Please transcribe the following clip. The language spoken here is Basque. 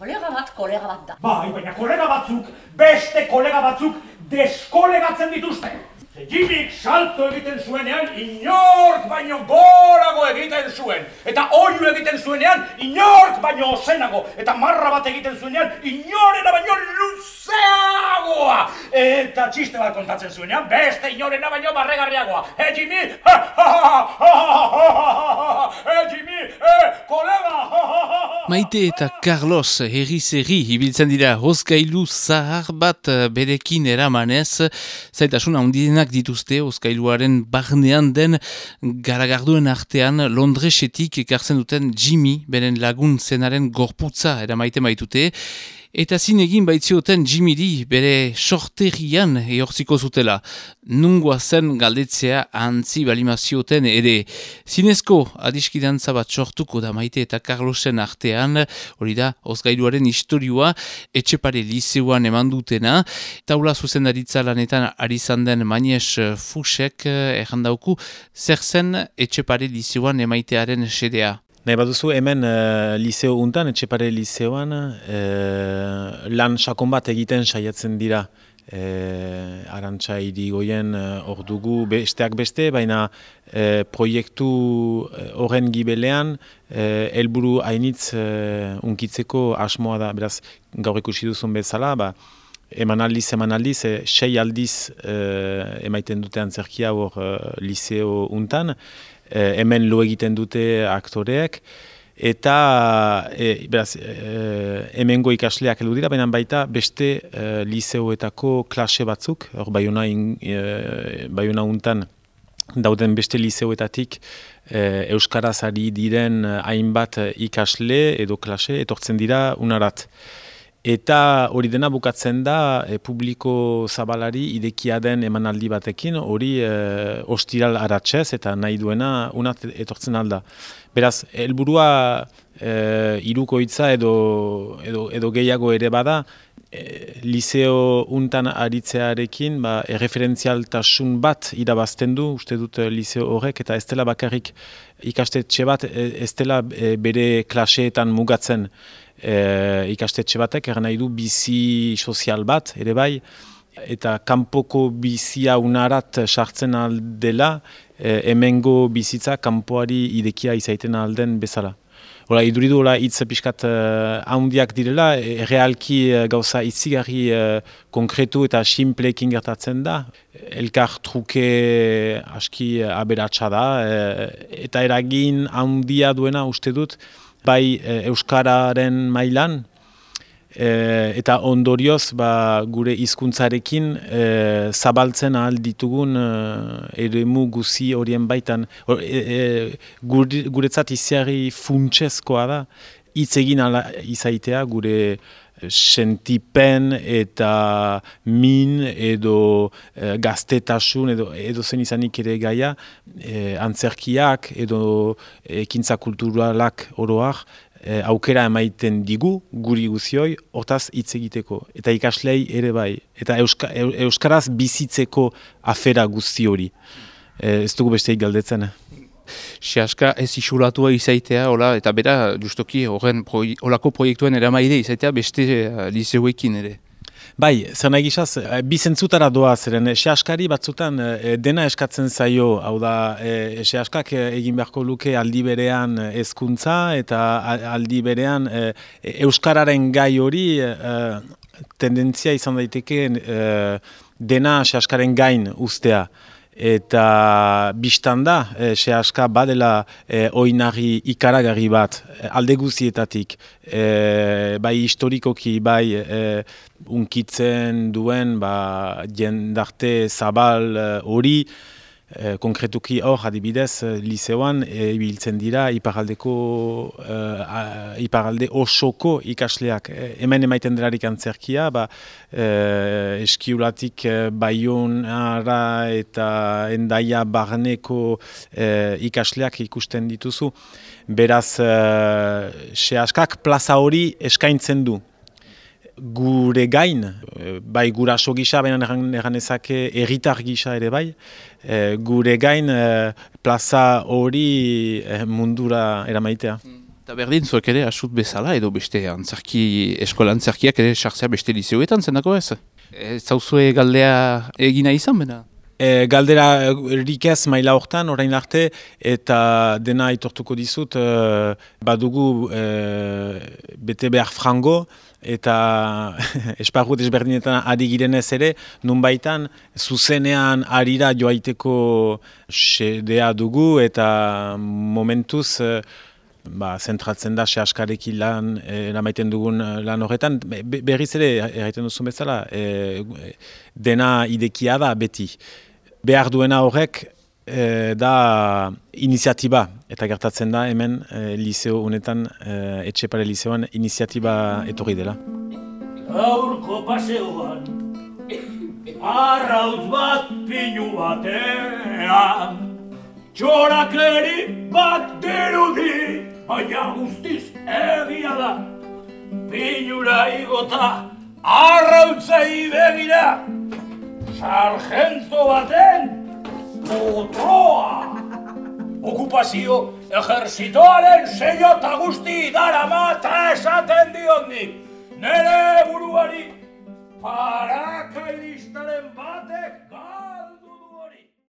Kolega bat da. Bai, baina kolega batzuk, beste kolega batzuk deskolegatzen dituzte. Jimik salto egiten zuenean inork baino gorago egiten zuen. Eta oiu egiten zuenean inork baino ozenago. Eta marra bat egiten zuenean inorena baino luzeagoa. Eta txiste bat kontatzen zuenean beste inorena baino barregarriagoa. Jimmy! Jimmy! Kolega! Maite eta Carlos herri ibiltzen dira hozkailu zahar bat berekin eramanez, zaitasun handienak dituzte hozkailuaren barnean den garagarduen artean Londresetik ekartzen duten Jimmy, beren lagun zenaren gorputza eramaiten baitute, eta zinegin baitzioten Jimmy bere sorterian ehortziko zutela. Nungoa zen galdetzea antzi balimazioten ere. Zinezko adiskidantza bat sortuko da Maite eta Carlosen artean, hori da, hozgailuaren istorioa, Etxepare Liseuan eman dutena. Taula zuzendaritza lanetan ari zanden Mañez Fusek errandauku, zer zen Etxepare Liseuan emaitearen sedea. Nahi baduzu hemen liseo untan, Etxepare Liseoan, lan sakon bat egiten saiatzen dira. Arantxa Irigoyen hor dugu besteak beste, baina proiektu horren gibelean helburu hainitz unkitzeko asmoa da. Beraz, gaur ikusi duzun bezala, emanaldiz, 6 aldiz emaiten dute antzerkia hor liseo untan. Hemen lo egiten dute aktoreek, eta hemengo ikasleak heldu dira, baina baita beste liseoetako klase batzuk, hor Baiona untan dauden beste liseoetatik euskaraz ari diren hainbat ikasle edo klase etortzen dira unarat. Eta hori dena bukatzen da publiko zabalari idekia den emanaldi batekin, hori ostiral aratzez eta nahi duena unat etortzen alda. Beraz, helburua hirukoitza edo gehiago ere bada, liseo untan aritzearekin erreferentzialtasun bat irabazten du, uste dut liseo horrek, eta ez dela bakarrik ikastetxe bat, ez dela bere klaseetan mugatzen. Ikastetxe batek nahi du bizi sozial bat, ere bai, eta kanpoko bizia unarat sartzen aldela, hemengo bizitza kanpoari idekia izaiten alden bezala. Hora, iduridu hitz pixkat handiak direla, realki gauza itzigarri konkretu eta simpleekin gertatzen da. Elkar truke aski aberatsa da, eta eragin handia duena uste dut, bai euskararen mailan, eta ondorioz gure hizkuntzarekin zabaltzen ahal ditugun eremu guzi horien baitan. Guretzat iziarri funtsezkoa da, hitz egin ala izaitea gure sentipen eta min edo gaztetasun edo zen izanik ere gaia, antzerkiak edo ekintza kulturalak oroak aukera emaiten digu guri guzioi hortaz hitz egiteko. Eta ikaslei ere bai. Eta euskaraz bizitzeko afera guzti hori. Ez dugu besteik galdetzen. Sehaska ez isolatua izaitea, eta bera, justoki, olako proiektuen eramaide izaitea beste liseuekin ere. Bai, zer nahi gizaz, bi zentzutara doa zeren, sehaskari batzutan dena eskatzen zaio, hau da, sehaskak egin beharko luke aldi berean hezkuntza eta aldi berean euskararen gai hori tendentzia izan daiteke dena sehaskaren gain ustea. Eta biztan da, sehaska badela oinarri ikaragarri bat, alde guzietatik, bai historikoki, bai unkitzen duen jendarte zabal hori, konkretuki hor, adibidez, liseoan ibiltzen dira iparalde osoko ikasleak. Hemen emaiten delarik antzerkia, eskiulatik Baionara eta Hendaia barneko ikasleak ikusten dituzu. Beraz, sehaskak plaza hori eskaintzen du. Gure gain, bai guraso gisa, baina eganezake herritar gisa ere bai, gure gain plaza hori mundura eramaitea. Eta berdin, zuek ere asut bezala edo beste eskola antzerkiak ere sartzea beste lizeoetan zenako ez? Ez zauzue galdea egina izan, bena? Galdera rikez maila hortan, orain arte, eta dena aitortuko dizut, badugu bete behar frango, eta esparru desberdinetan ari girenez ere, nunbaitan zuzenean arira joaiteko sedea dugu, eta momentuz zentratzen da sehaskarekin lan eramaiten dugun lan horretan. Berriz ere, erraiten duzun bezala, dena idekia da beti. Behar duena horrek da iniziatiba, eta gertatzen da hemen liseo honetan, Etxepare liseoan iniziatiba etorri dela. Gaurko paseoan, arrautz bat pinu batean, txorakeri bat dirudi, baina guztiz egia da. Pinura igota, arrautzei begira, sargento baten potroa. Okupazio ejerzitoaren seio eta guzti darama eta esaten diondik. Nere